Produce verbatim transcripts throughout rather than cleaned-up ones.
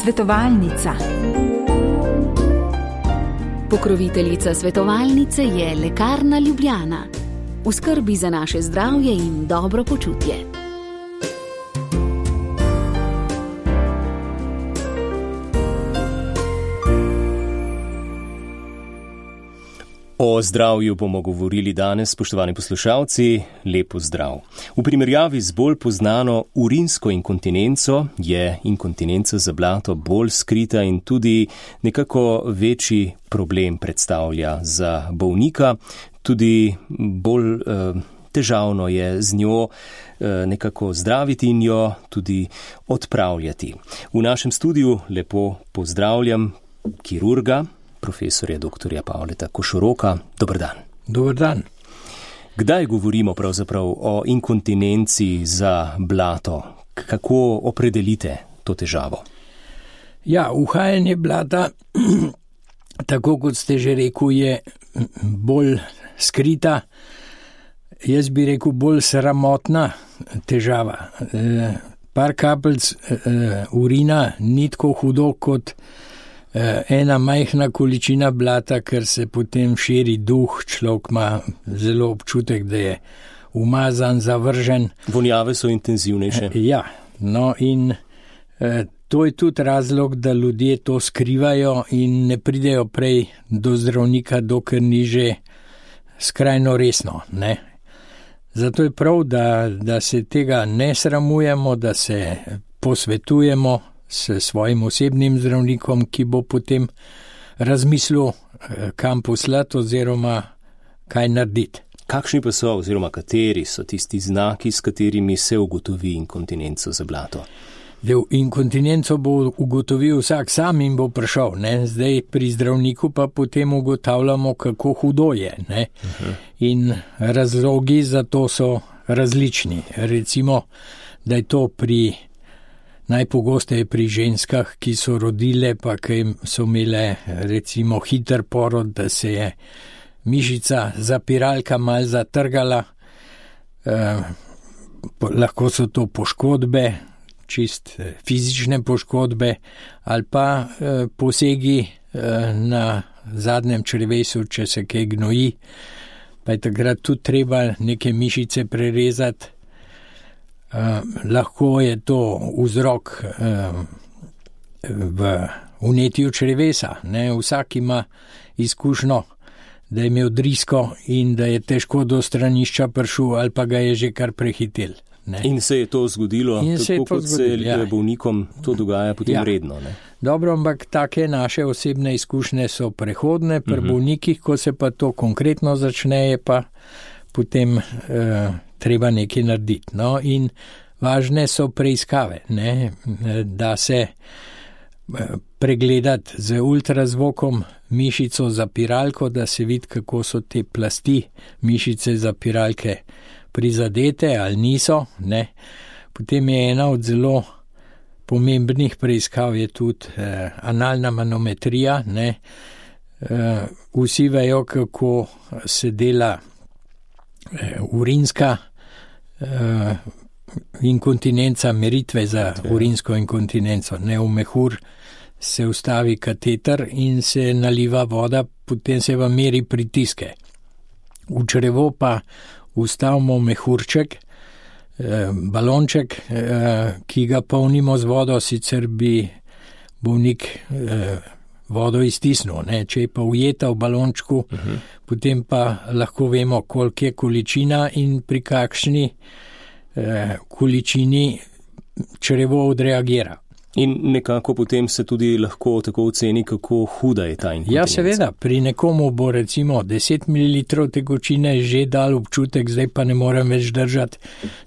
Svetovalnica. Pokroviteljica svetovalnice je Lekarna Ljubljana. V skrbi za naše zdravje in dobro počutje. O zdravju bomo govorili danes, spoštovani poslušalci, lepo zdrav. V primerjavi z bolj poznano urinsko inkontinenco je inkontinenca za blato bolj skrita in tudi nekako večji problem predstavlja za bolnika. Tudi bolj eh, težavno je z njo eh, nekako zdraviti in jo tudi odpravljati. V našem studiu lepo pozdravljam kirurga, profesorja doktorja Pavleta Košoroka. Dober dan. Dober dan. Kdaj govorimo pravzaprav o inkontinenci za blato? Kako opredelite to težavo? Ja, uhajanje blata, tako kot ste že rekel, je bolj skrita, jaz bi rekel bolj sramotna težava. E, par kapelc e, urina ni tako hudo kot ena majhna količina blata, ker se potem širi duh, človek ima zelo občutek, da je umazan, zavržen. Vonjave so intenzivnejše. Ja, no in eh, to je tudi razlog, da ljudje to skrivajo in ne pridejo prej do zdravnika, dokler ni že skrajno resno, ne. Zato je prav, da, da se tega ne sramujemo, da se posvetujemo s svojim osebnim zdravnikom, ki bo potem razmislil, kam poslati oziroma kaj narediti. Kakšni pa so oziroma kateri so tisti znaki, s katerimi se ugotovi inkontinenco za blato? Del inkontinenco bo ugotovil vsak sam in bo prišel. Ne? Zdaj pri zdravniku pa potem ugotavljamo, kako hudo je. Ne? Uh-huh. In razlogi za to so različni. Recimo, da je to pri najpogosteje pri ženskah, ki so rodile, pa ki so imele recimo hiter porod, da se je mišica zapiralka mal zatrgala. Eh, po, lahko so to poškodbe, čist fizične poškodbe, ali pa eh, posegi eh, na zadnjem črevesu, če se kaj gnoji, pa je takrat tudi treba neke mišice prerezati. Uh, lahko je to vzrok uh, v vnetju črevesa. Ne? Vsak ima izkušnjo, da je imel drisko in da je težko do stranišča prišel ali pa ga je že kar prehitel. Ne? In se je to zgodilo, in tako se to kot zgodilo, se ja. bolnikom to dogaja potem ja. redno. Ne? Dobro, ampak take naše osebne izkušnje so prehodne, pri uh-huh. bolnikih, ko se pa to konkretno začne, je pa potem uh, treba nekaj narediti. No? In važne so preiskave, ne? Da se pregledati z ultrazvokom mišico zapiralko, da se vidi, kako so te plasti mišice zapiralke prizadete ali niso. Ne? Potem je ena od zelo pomembnih preiskav je tudi eh, analna manometrija. Ne? Eh, vsi vejo, kako se dela eh, urinska eh, inkontinenca, meritve za urinsko inkontinenco. Ne, v mehur se vstavi kateter in se naliva voda, potem se vam meri pritiske. V črevo pa vstavimo mehurček, eh, balonček, eh, ki ga polnimo z vodo, sicer bi bolnik eh, vodo iztisnil. Ne. Če je pa ujeta v balončku, uh-huh. potem pa lahko vemo, koliko je količina in pri kakšni količini črevo odreagira. In nekako potem se tudi lahko tako oceni, kako huda je ta inkontinenca. Ja, seveda, pri nekomu bo recimo deset mililitrov tekočine že dal občutek, zdaj pa ne morem več držati,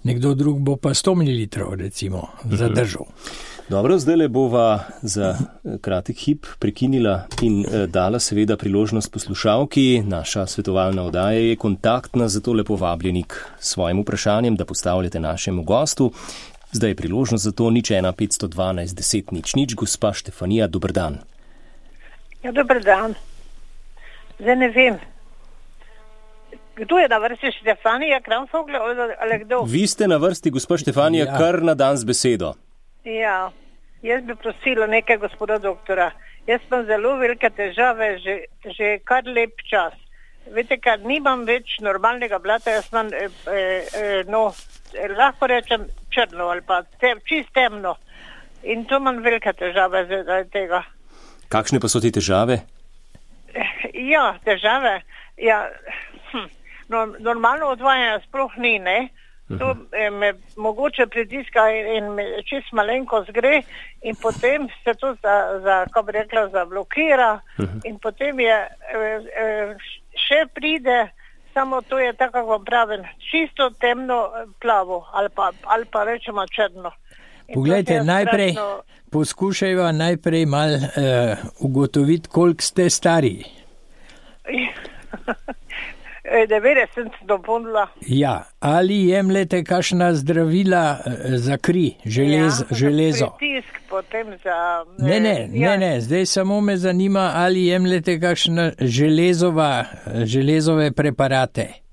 nekdo drug bo pa sto mililitrov recimo zadržal. Dobro, zdaj le bova za kratek hip prekinila in dala seveda priložnost poslušalki. Naša svetovalna oddaja je kontaktna, zato lepo vabljeni k svojim vprašanjem, da postavljate našemu gostu. Zdaj je priložnost za to nič ena petsto dvanajst deset nič nič. Gospa Štefanija, dober dan. Ja, dober dan. Zdaj ne vem. Kdo je na vrsti, Štefanija Kramfogla ali kdo? Vi ste na vrsti, gospa Štefanija, ja. Kar na dan z besedo. Ja, Jaz bi prosila nekaj gospoda doktora. Jaz imam zelo velike težave že, že kar lep čas. Veste, kar nimam več normalnega blata, jaz imam, eh, eh, no, lahko rečem črno ali pa tem, čist temno. In to imam velike težave zaradi tega. Kakšne pa so ti težave? Ja, težave. Ja, hm, no, normalno odvajanje sploh ni, ne? To eh, me mogoče pritiska in, in me čist malenko zgre in potem se to za, za kako bi rekla, zablokira in potem je eh, eh, še pride, samo to je tako, kako vam pravim, čisto temno plavo ali pa, ali pa rečemo črno. Poglejte, najprej strašno... poskušajva najprej mal uh, ugotoviti, koliko ste stari. devetdeset dopolnila. Ja, ali jemljete kakšna zdravila za kri, želez, ja, železo? Pritisk potem za... Ne, ne, ja. ne, ne, zdaj samo me zanima, ali jemljete kakšna železova, železove preparate.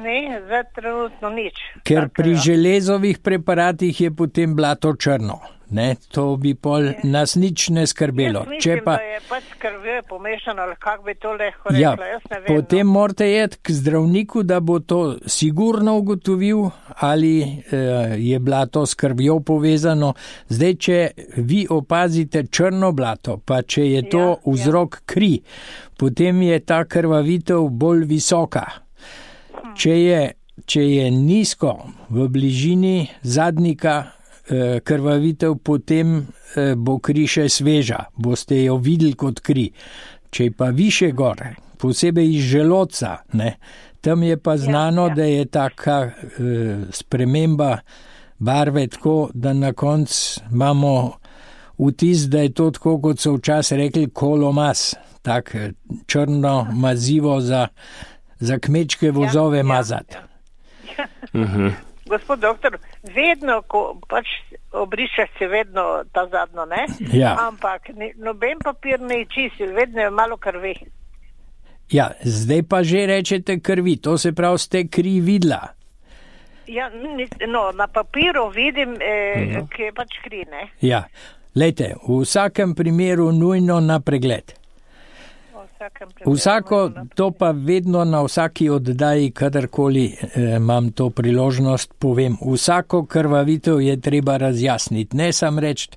Ne, zdaj trenutno nič. Ker tak, pri ja. železovih preparatih je potem blato črno. Ne, to bi pol nas nič ne skrbelo. Jaz mislim, Če pa, da je pač krvjo pomešano, ali kak bi to lahko rekla, ja, jaz ne vem. potem no. morate jeti k zdravniku, da bo to sigurno ugotovil, ali eh, je blato s krvjo povezano. Zdaj, če vi opazite črno blato, pa če je to Ja, vzrok kri, potem je ta krvavitev bolj visoka. Če je, če je nizko v bližini zadnika eh, krvavitev, potem eh, bo kri še sveža, boste jo videli kot kri. Če je pa više gore, posebej iz želodca, ne, tam je pa znano, ja. da je taka eh, sprememba barve tako, da na koncu imamo vtis, da je to tako, kot so včasih rekli, kolomaz, tak črno mazivo za za kmečke vozove ja, mazati. Ja, ja. uh-huh. Gospod doktor, vedno, ko pač obrišeš se vedno ta zadnjo, ne? Ja. Ampak ne, noben papir ne čisil, vedno je malo krvi. Ja, zdaj pa že rečete krvi, to se pravi, ste kri videla. Ja, no, na papiru vidim, eh, uh-huh. ki je pač kri, ne? Ja, lejte, v vsakem primeru nujno na pregled. Vsako, to pa vedno na vsaki oddaji, kadarkoli eh, imam to priložnost, povem, vsako krvavitev je treba razjasniti, ne sam reči,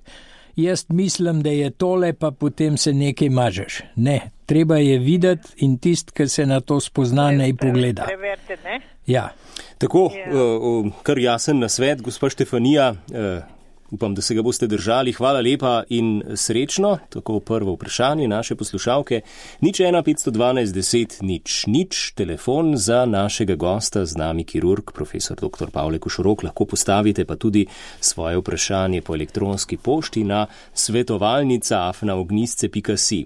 jaz mislim, da je tole, pa potem se nekaj mažeš. Ne, treba je videti in tist, ki se na to spozna, ne pogleda. Preverite, ne? Ja. Tako, Ja. uh, kar jasen nasvet, gospa Štefanija, uh, upam, da se ga boste držali. Hvala lepa in srečno. Tako prvo vprašanje naše poslušalke. Nič ena petsto dvanajst deset nič nič. Telefon za našega gosta, z nami kirurg, profesor doktor Pavle Košorok. Lahko postavite pa tudi svoje vprašanje po elektronski pošti na svetovalnica afna ognjisce pika si.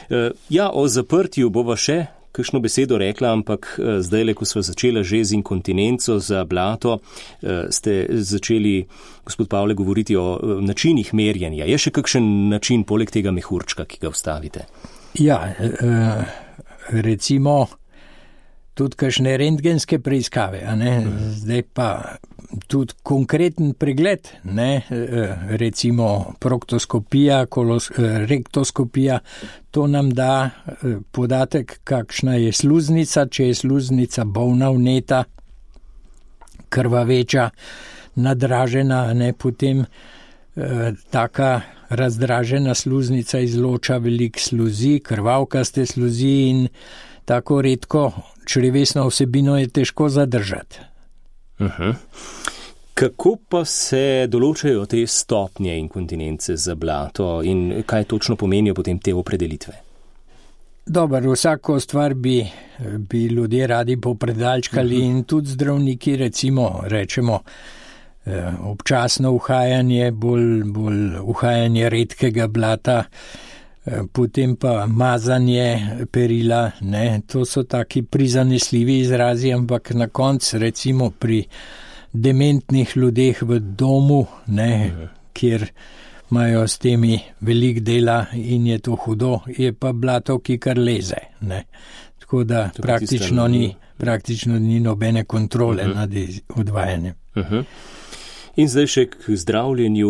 Uh, ja, o zaprtju bova še kakšno besedo rekla, ampak zdaj, ko sva začela že z inkontinenco za blato, ste začeli, gospod Pavle, govoriti o načinih merjenja. Je še kakšen način poleg tega mehurčka, ki ga vstavite? Ja, recimo tudi kakšne rentgenske preiskave, a ne? Zdaj pa tudi konkreten pregled, ne? Recimo proktoskopija, kolos, rektoskopija, to nam da podatek, kakšna je sluznica, če je sluznica bolna, vneta, krvaveča, nadražena, ne? Potem eh, taka razdražena sluznica izloča veliko sluzi, krvavkaste sluzi in tako redko črevesno vsebino je težko zadržati. Uh-huh. Kako pa se določajo te stopnje inkontinence za blato in kaj točno pomenijo potem te opredelitve? Dobar, vsako stvar bi, bi ljudje radi popredalčkali uh-huh. in tudi zdravniki, recimo, rečemo, občasno uhajanje, bolj, bolj uhajanje redkega blata, potem pa mazanje perila, ne, to so taki prizanesljivi izrazi, ampak na koncu, recimo pri dementnih ljudeh v domu, ne, kjer imajo s temi velik dela in je to hudo, je pa blato, ki kar leze, ne. Tako da praktično ni, praktično ni nobene kontrole uh-huh. nad odvajanjem. Uh-huh. In zdaj še k zdravljenju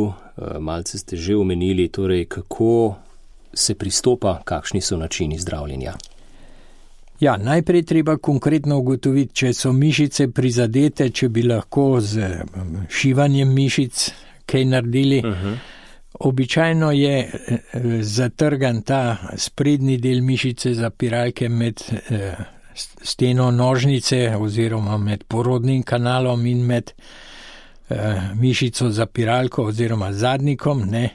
malce ste že omenili, torej kako se pristopa, kakšni so načini zdravljenja. Ja, najprej treba konkretno ugotoviti, če so mišice prizadete, če bi lahko z šivanjem mišic kaj naredili. Uh-huh. Običajno je zatrgan ta sprednji del mišice zapiralke med steno nožnice oziroma med porodnim kanalom in med mišico zapiralko oziroma zadnikom. Ne.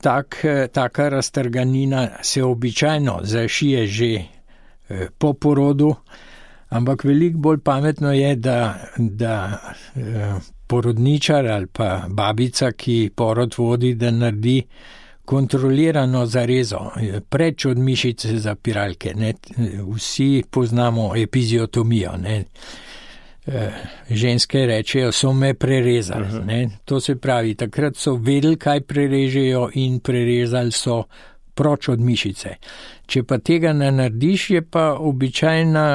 Tak, taka raztrganina se običajno zašije že eh, po porodu, ampak veliko bolj pametno je, da, da eh, porodničar ali pa babica, ki porod vodi, da naredi kontrolirano zarezo preč od mišice zapiralke. Ne. Vsi poznamo epiziotomijo. Ne. Ženske rečejo, so me prerezali. Uh-huh. Ne? To se pravi, takrat so vedeli, kaj prerežejo in prerezali so proč od mišice. Če pa tega ne narediš, je pa običajna,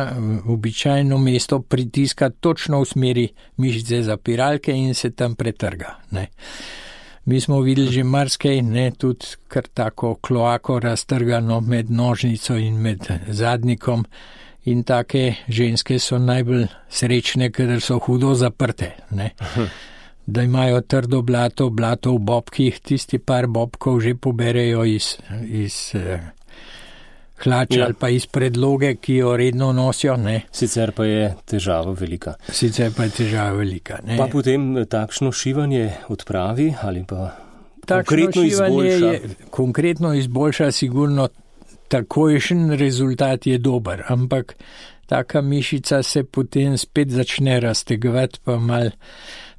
običajno mesto pritiska točno v smeri mišice zapiralke in se tam pretrga. Ne? Mi smo videli že marsikaj, ne, tudi kar tako kloako raztrgano med nožnico in med zadnikom. In take ženske so najbolj srečne, ker so hudo zaprte. Ne? Da imajo trdo blato, blato v bobkih, tisti par bobkov že poberejo iz, iz eh, hlača ja. ali pa iz predloge, ki jo redno nosijo. Ne? Sicer pa je težava velika. Sicer pa je težava velika. Ne? Pa potem takšno šivanje odpravi ali pa takšno konkretno izboljša? Je, konkretno izboljša sigurno. Takojšen rezultat je dober, ampak taka mišica se potem spet začne raztegovati, pa mal,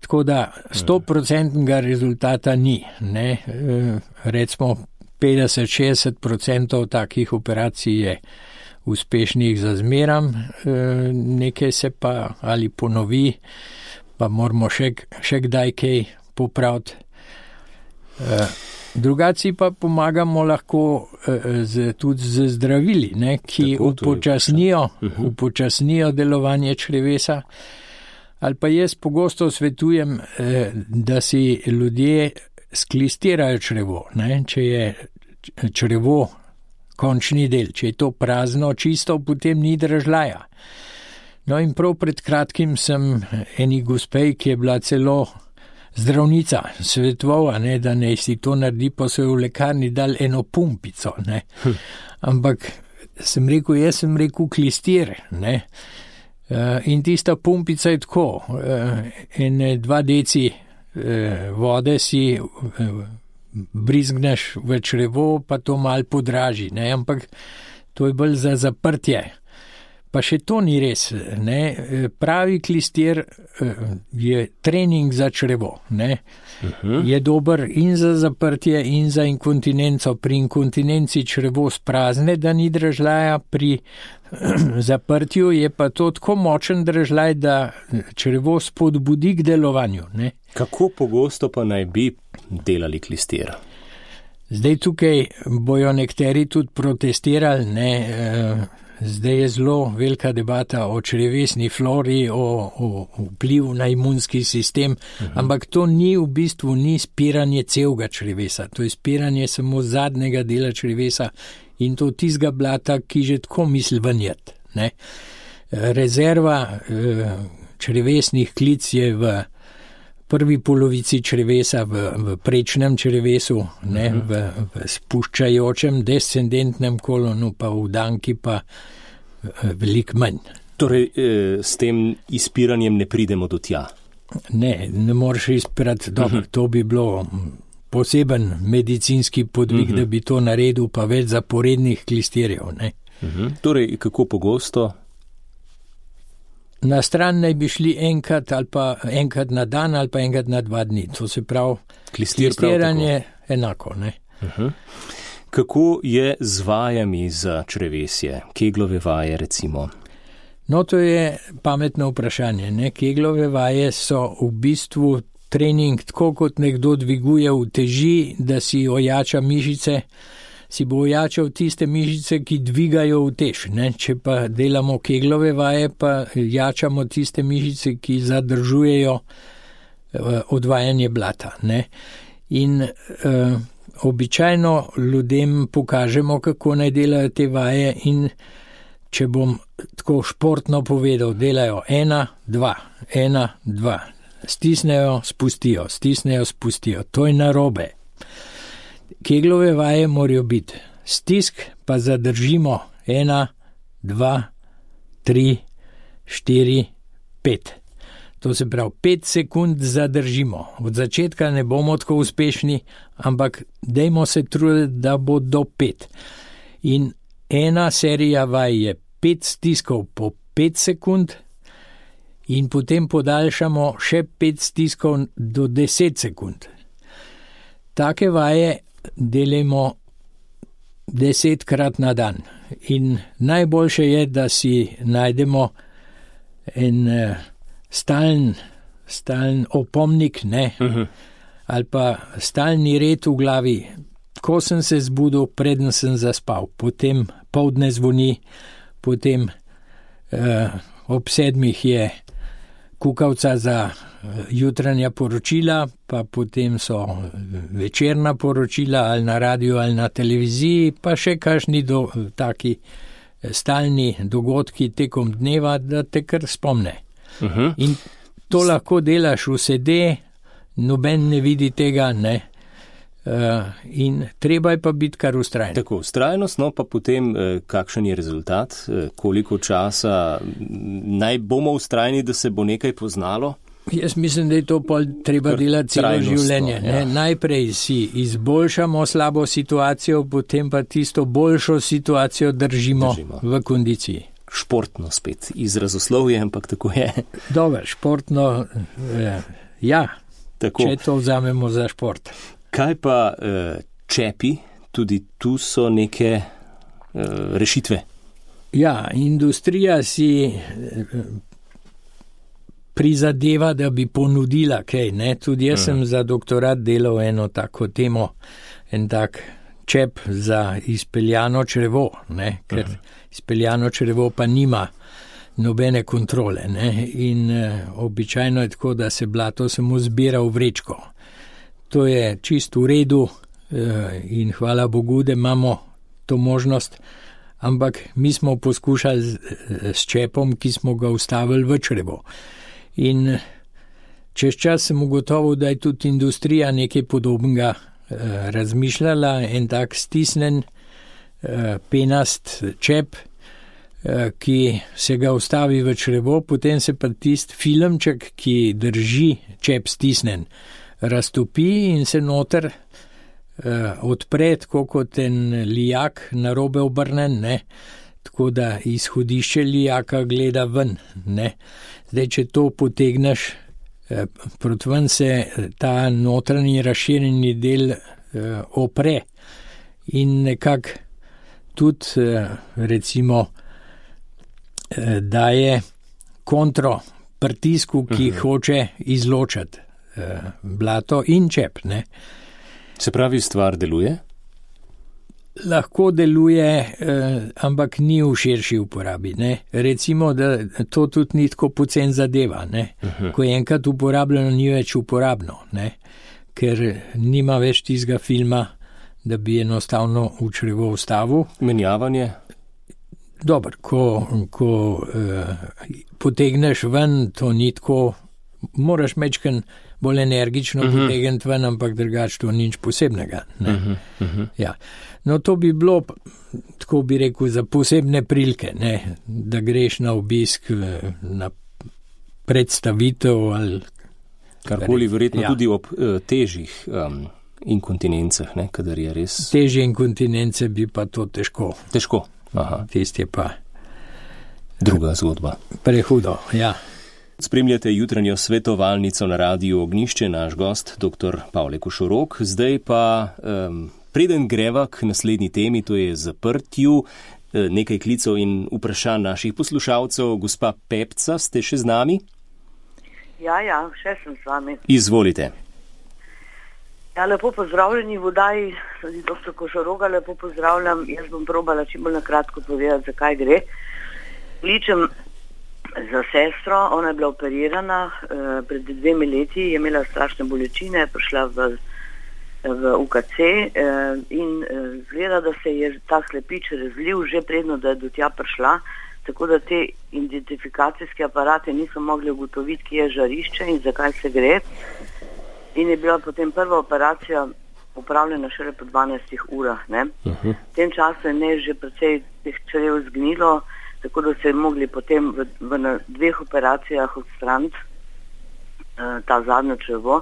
tako da stoprocentnega rezultata ni. Ne? Recimo petdeset do šestdeset procentov takih operacij je uspešnih za zmeram, nekaj se pa ali ponovi, pa moramo še, še kdaj kaj popraviti. Drugaci pa pomagamo lahko z, tudi z zdravili, ne, ki upočasnijo, upočasnijo delovanje črevesa. Ali pa jaz pogosto svetujem, da si ljudje sklistirajo črevo. Ne, če je črevo končni del, če je to prazno, čisto, potem ni držljaja. No in prav pred kratkim sem eni gospej, ki je bila celo zdravnica, svetovala, ne, da ne si to naredi, pa so jo v lekarni dal eno pumpico. Ne. Hm. Ampak sem rekel, jaz sem rekel klistir. Ne. Uh, in tista pumpica je tako, uh, in dva deci uh, vode si uh, brizgneš v črevo, pa to mal podraži. Ne. Ampak to je bolj za zaprtje. Pa še to ni res. Ne. Pravi klistir je trening za črevo. Ne. Uh-huh. Je dober in za zaprtje in za inkontinenco. Pri inkontinenci črevo sprazne, da ni držljaja, pri zaprtju je pa to tako močen držljaj, da črevo spodbudi k delovanju. Ne. Kako pogosto pa naj bi delali klistir? Zdaj tukaj bojo nekateri tudi protestirali, ne. Zdaj je zelo velika debata o črevesni flori, o, o vplivu na imunski sistem, uh-huh. ampak to ni v bistvu ni spiranje celega črevesa, to je spiranje samo zadnjega dela črevesa in to tistega blata, ki že tako misli vanjet. Ne? Rezerva eh, črevesnih klic je v prvi polovici črevesa, v, v prečnem črevesu, ne, uh-huh. v, v spuščajočem descendentnem kolonu, pa v danki pa veliko manj. Torej, eh, s tem izpiranjem ne pridemo do tja? Ne, ne moreš izpirati, dobro, uh-huh. to bi bilo poseben medicinski podvig, uh-huh. da bi to naredil, pa več zaporednih klistirjev. Ne. Uh-huh. Torej, kako pogosto? Na stran naj bi šli enkrat ali pa enkrat na dan ali pa enkrat na dva dni. To se pravi, klistiranje enako. Ne? Uh-huh. Kako je z vajami za črevesje? Keglove vaje recimo? No, to je pametno vprašanje. Ne? Keglove vaje so v bistvu trening, tako kot nekdo dviguje uteži, da si ojača mišice, si bo ojačal tiste mišice, ki dvigajo utež. Ne? Če pa delamo keglove vaje, pa jačamo tiste mišice, ki zadržujejo odvajanje blata, ne. In uh, običajno ljudem pokažemo, kako naj delajo te vaje in če bom tako športno povedal, delajo ena, dva, ena, dva. Stisnejo, spustijo, stisnejo, spustijo. To je narobe. Keglove vaje morajo biti stisk, pa zadržimo ena, dva, tri, štiri, pet. To se pravi, pet sekund zadržimo. Od začetka ne bomo tako uspešni, ampak dajmo se truditi, da bo do pet. In ena serija vaj je pet stiskov po pet sekund in potem podaljšamo še pet stiskov do deset sekund. Take vaje delimo desetkrat na dan. In najboljše je, da si najdemo en uh, stalen, stalen opomnik, ne, uh-huh. ali pa stalni red v glavi. Ko sem se zbudil, preden sem zaspal, potem poldne zvoni, potem uh, ob sedmih je kukavca za jutranja poročila, pa potem so večerna poročila ali na radiju ali na televiziji, pa še kakšni do, taki stalni dogodki tekom dneva, da te kar spomne. Uh-huh. In to lahko delaš v sede, noben ne vidi tega, ne. Uh, in treba je pa biti kar ustrajen. Tako, ustrajnost, no pa potem eh, kakšen je rezultat, eh, koliko časa naj bomo ustrajni, da se bo nekaj poznalo? Jaz mislim, da je to pol treba delati celo življenje. Ja. Najprej si izboljšamo slabo situacijo, potem pa tisto boljšo situacijo držimo, držimo. v kondiciji. Športno spet, izrazoslovje, ampak tako je. Dobar, športno, eh, ja, tako. Če to vzamemo za šport. Kaj pa uh, čepi, tudi tu so neke uh, rešitve? Ja, industrija si prizadeva, da bi ponudila kaj, ne? Tudi jaz uh-huh. sem za doktorat delal eno tako temo, en tak čep za izpeljano črevo, ne? Ker uh-huh. izpeljano črevo pa nima nobene kontrole, ne? In uh, običajno je tako, da se blato samo zbira v vrečko. To je čisto v redu in hvala Bogu, da imamo to možnost, ampak mi smo poskušali s čepom, ki smo ga ustavili v črevo. In čez čas sem ugotovil, da je tudi industrija nekaj podobnega razmišljala, en tak stisnen penast čep, ki se ga ustavi v črevo, potem se pa tist filmček, ki drži čep stisnen, raztopi in se noter uh, odpre, tako kot en lijak narobe obrnen, ne, tako da izhodišče lijaka gleda ven, ne. Zdaj, če to potegneš, uh, proti ven se ta notranji razširjeni del uh, opre in nekako tudi, uh, recimo, uh, daje kontro pritisku, ki uh-huh. hoče izločati blato in čep, ne. Se pravi, stvar deluje? Lahko deluje, eh, ampak ni v širši uporabi, ne. Recimo, da to tudi ni tako pocen zadeva, ne. Uh-huh. Ko je enkrat uporabljeno, ni več uporabno, ne. Ker nima več tistega filma, da bi enostavno v črevo vstavil. Menjavanje? Dobar, ko, ko eh, potegneš ven, to ni tako, moraš mečken bolj energično uh-huh. potegniti ven, ampak drugače to nič posebnega. Ne? Uh-huh. Uh-huh. Ja. No, to bi bilo, tako bi rekel, za posebne prilike, ne? Da greš na obisk, na predstavitev ali karkoli, verjetno ja. Tudi ob uh, težjih um, inkontinencah, ne? Kadar je res. Težje inkontinence bi pa to težko. Težko. Aha. Tist je pa druga zgodba. Prehudo, ja. Spremljate jutranjo svetovalnico na Radiu Ognjišče, naš gost, dr. Pavle Košorok. Zdaj pa, um, preden greva k naslednji temi, to je zaprtju, nekaj klicov in vprašanj naših poslušalcev. Gospa Pepca, ste še z nami? Ja, ja, še sem z vami. Izvolite. Ja, lepo pozdravljeni v oddaji, tudi doktor Košoroga, lepo pozdravljam. Jaz bom probala čim bolj na kratko povedati, zakaj gre. Ličem za sestro, ona je bila operirana uh, pred dvemi leti, je imela strašne bolečine, prišla v, v U K C uh, in uh, zgleda, da se je ta slepič razlil že predno, da je do tja prišla, tako da te identifikacijske aparate niso mogli ugotoviti, kje je žarišče in zakaj se gre. In je bila potem prva operacija upravljena šele po dvanajstih urah. Ne? Uh-huh. V tem času je ne že precej teh črev zgnilo, tako da se je mogli potem v, v na dveh operacijah odstraniti uh, ta zadnjo črevo.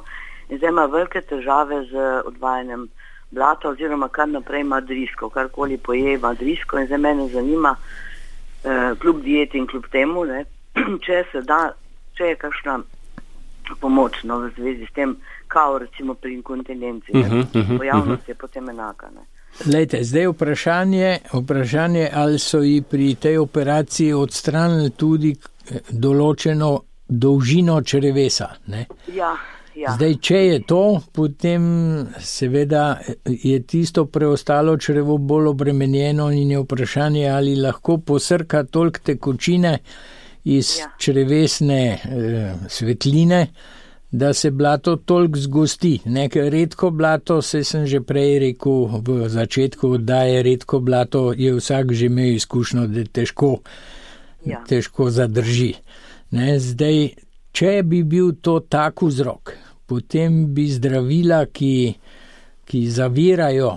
In zdaj ima velike težave z odvajanjem blata oziroma kar naprej ima drisko, karkoli poje ima drisko in zdaj mene zanima, uh, kljub dieti in kljub temu, ne, če se da, če je kakšna pomoč no, v zvezi s tem, kao recimo pri inkontinenci. Uh-huh, uh-huh, pojavnost uh-huh. je potem enaka. Ne. Lejte, zdaj vprašanje, vprašanje, ali so ji pri tej operaciji odstranili tudi določeno dolžino črevesa. Ne? Ja, ja. Zdaj, če je to, potem seveda je tisto preostalo črevo bolj obremenjeno in je vprašanje, ali lahko posrka toliko tekočine iz ja. črevesne eh, svetline, da se blato toliko zgosti. Nekaj redko blato, se sem že prej rekel v začetku, da je redko blato, je vsak že imel izkušnjo, da težko, ja. težko zadrži. Ne, zdaj, če bi bil to tak vzrok, potem bi zdravila, ki, ki zavirajo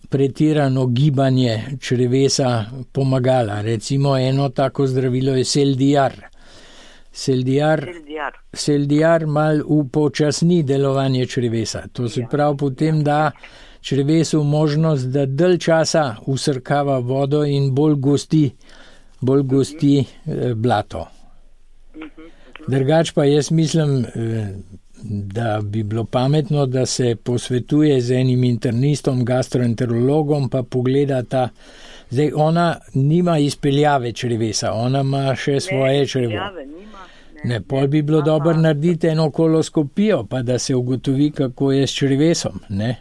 pretirano gibanje črevesa, pomagala. Recimo eno tako zdravilo je Seldiar. Seldiar, Seldiar mal upočasni delovanje črevesa. To se pravi potem da črevesu možnost, da dalj časa usrkava vodo in bolj gosti, bolj gosti eh, blato. Drugač pa jaz mislim, eh, da bi bilo pametno, da se posvetuje z enim internistom, gastroenterologom, pa pogleda ta. Zdaj, ona nima izpeljave črevesa, ona ima še svoje ne, črevo. Nima, ne, ne, pol bi bilo dobro narediti eno koloskopijo, pa da se ugotovi, kako je s črevesom. Ne?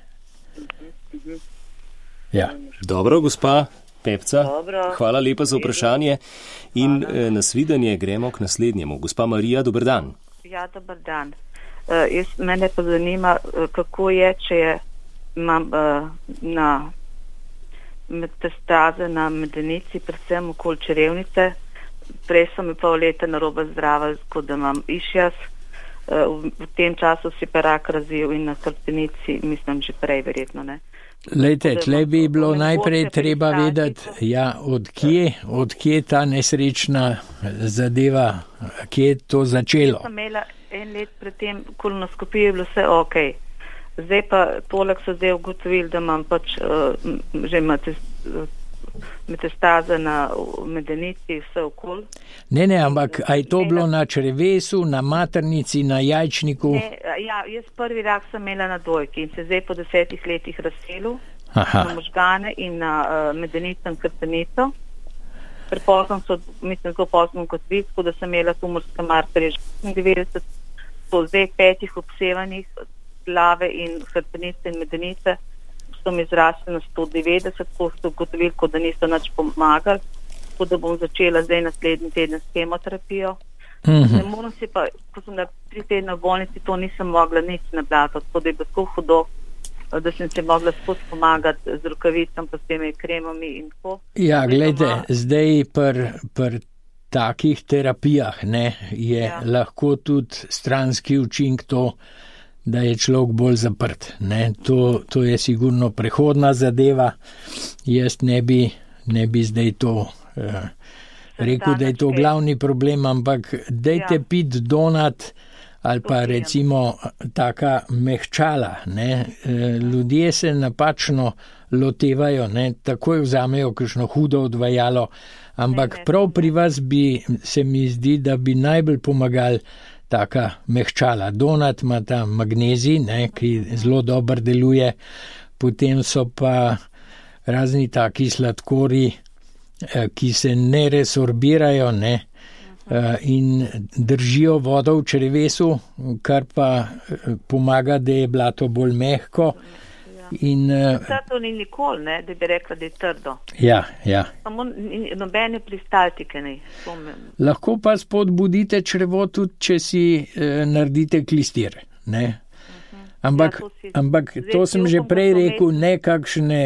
Ja. Dobro, gospa Pepca, Dobro. Hvala lepa za vprašanje in hvala. Nasvidenje gremo k naslednjemu. Gospa Marija, dober dan. Ja, dober dan. Uh, jaz, mene pa zanima, uh, kako je, če je, imam uh, na metastaze na medenici, predvsem okoli črevnice. Prej sem mi pol leta narobe zdrava, kot da imam išjas. Uh, v, v tem času si pa rak razvil in na hrbtenici, mislim, že prej verjetno, ne. Lejte, tle bi bilo najprej treba vedeti, ja, od kje, od kje ta nesrečna zadeva, kje je to začelo. Jaz sem imela en let pred tem kolonoskopijo, je bilo vse ok. Zdaj pa poleg so zdaj ugotovili, da imam pač uh, že metastaze na medenici, vse okoli. Ne, ne, ampak a je to bilo na črevesu, na maternici, na jajčniku? Ne, ja, jaz prvi rak sem imela na dojki in se zdaj po desetih letih razselil na možgane in na uh, medenico in hrbtenico. Prepozno so, mislim, zelo pozno kot vi, tako da sem imela tumorske markerje devetdeset, po zdaj petih obsevanih glave in hrbtenice in medenice so mi zrasli na sto devetdeset, ko so ugotovili, da niso nič pomagali, tako da bom začela zdaj naslednji teden s kemoterapijo. Mm-hmm. Ne moram si pa, ko sem na tri tedne v bolnici, to nisem mogla nič nablatati, tako da je bilo tako hudo, da sem se mogla skozi pomagati z rokavicam, pa s temi kremami in tako. Ja, gledajte, doma... zdaj pri pr takih terapijah ne, je ja. lahko tudi stranski učink to, da je človek bolj zaprt. Ne. To, to je sigurno prehodna zadeva. Jaz ne bi, ne bi zdaj to eh, rekel, da je to glavni problem, ampak dajte ja. pit donat ali pa recimo taka mehčala. Ne. Ljudje se napačno lotevajo, ne. Takoj vzamejo kakšno hudo odvajalo, ampak prav pri vas bi, se mi zdi, da bi najbolj pomagali taka mehčala. Donat ima ta magnezij, ne, ki zelo dobro deluje, potem so pa razni taki sladkori, ki se ne resorbirajo, ne, in držijo vodo v črevesu, kar pa pomaga, da je blato bolj mehko In, to ni nikoli, ne, da bi rekla, da je trdo. Ja, ja. Samo nobene pristaltike ne. Lahko pa spodbudite črevo tudi, če si eh, naredite klistir, ne. Ampak, ja, to, ampak to sem že prej rekel, ne kakšne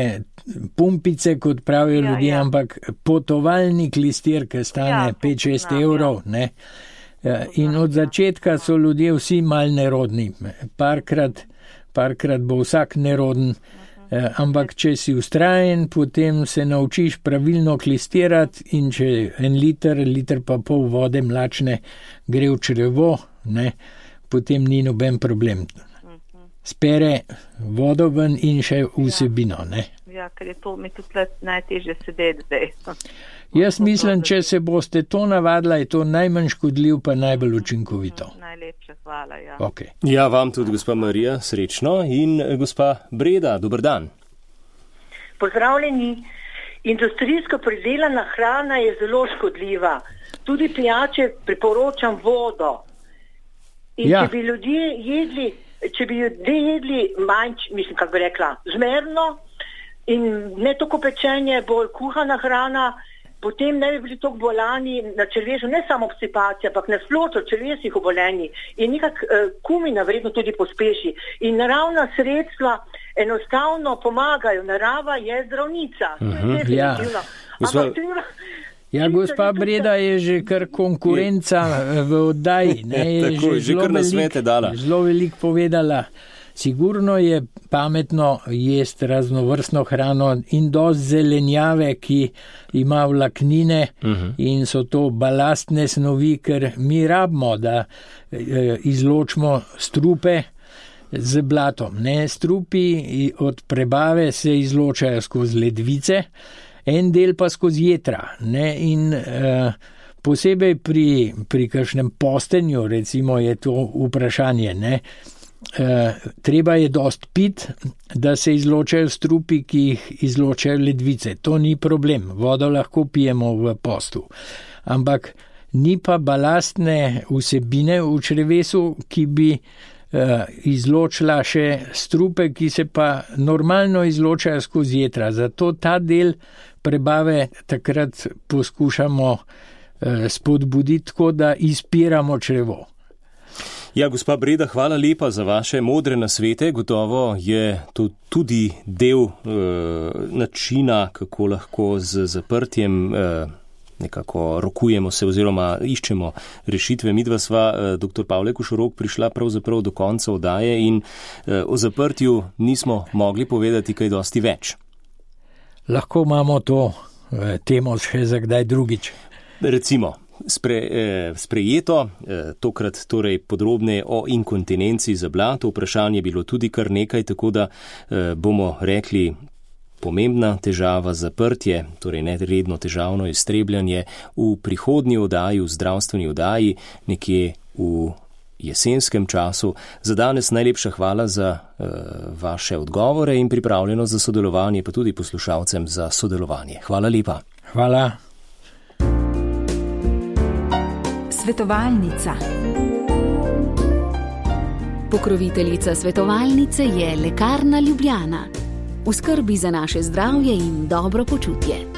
pumpice, kot pravijo ja, ljudje, ja. Ampak potovalni klistir, ki stane ja, pet šest evrov, ja. Ne. In od začetka so ljudje vsi mal nerodni. Parkrat, parkrat bo vsak neroden, ampak če si ustrajen, potem se naučiš pravilno klistirati in če en liter, liter pa pol vode mlačne gre v črevo, ne, potem ni noben problem. Spere vodo ven in še vsebino, ne. Ja, ker je to mi tudi najtežje sedeti zdaj. Jaz mislim, če se boste to navadila, je to najmanj škodljiv, pa najbolj učinkovito. Najlepša hvala, ja. Okay. Ja, vam tudi, gospa Marija, srečno. In gospa Breda, dober dan. Pozdravljeni. Industrijsko pridelana hrana je zelo škodljiva. Tudi pijače priporočam vodo. In ja. Če bi ljudje jedli, če bi ljudje jedli manj, mislim, kako bi rekla, zmerno in ne toliko pečenje, bolj kuhana hrana, potem ne bi bili toliko bolani na črvesu, ne samo obstipacija, ampak na splošno črvesih obolenji. In nekak uh, kumina vredno tudi pospeši. In naravna sredstva enostavno pomagajo. Narava je zdravnica. Uh-huh, ja. Ja, gospa Breda je že kar konkurenca v oddaji. Ne, je Tako, že, že kar na svete dala. Zelo veliko povedala. Sigurno je pametno jesti raznovrstno hrano in dosti zelenjave, ki ima vlaknine uh-huh. in so to balastne snovi, ker mi rabimo, da e, izločimo strupe z blatom. Ne? Strupi od prebave se izločajo skozi ledvice, en del pa skozi jetra. Ne? In e, posebej pri, pri kakšnem postenju, recimo, je to vprašanje, ne? Uh, treba je dost pit, da se izločajo strupi, ki jih izločajo ledvice. To ni problem, vodo lahko pijemo v postu. Ampak ni pa balastne vsebine v črevesu, ki bi uh, izločila še strupe, ki se pa normalno izločajo skozi jetra. Zato ta del prebave takrat poskušamo uh, spodbuditi tako, da izpiramo črevo. Ja, gospa Breda, hvala lepa za vaše modre nasvete. Gotovo je to tudi del e, načina, kako lahko z zaprtjem e, nekako rokujemo se oziroma iščemo rešitve. Midva sva, e, dr. Pavle Košorok, prišla pravzaprav do konca oddaje in e, o zaprtju nismo mogli povedati kaj dosti več. Lahko imamo to e, temo še za kdaj drugič. Recimo. Spre, eh, sprejeto, eh, tokrat torej podrobne o inkontinenci za blato. Vprašanje je bilo tudi kar nekaj, tako da eh, bomo rekli pomembna težava zaprtje, torej neredno težavno iztrebljanje v prihodnji oddaji, v zdravstveni oddaji, nekje v jesenskem času. Za danes najlepša hvala za eh, vaše odgovore in pripravljenost za sodelovanje, pa tudi poslušalcem za sodelovanje. Hvala lepa. Hvala. Svetovalnica. Pokroviteljica svetovalnice je Lekarna Ljubljana. V skrbi za naše zdravje in dobro počutje.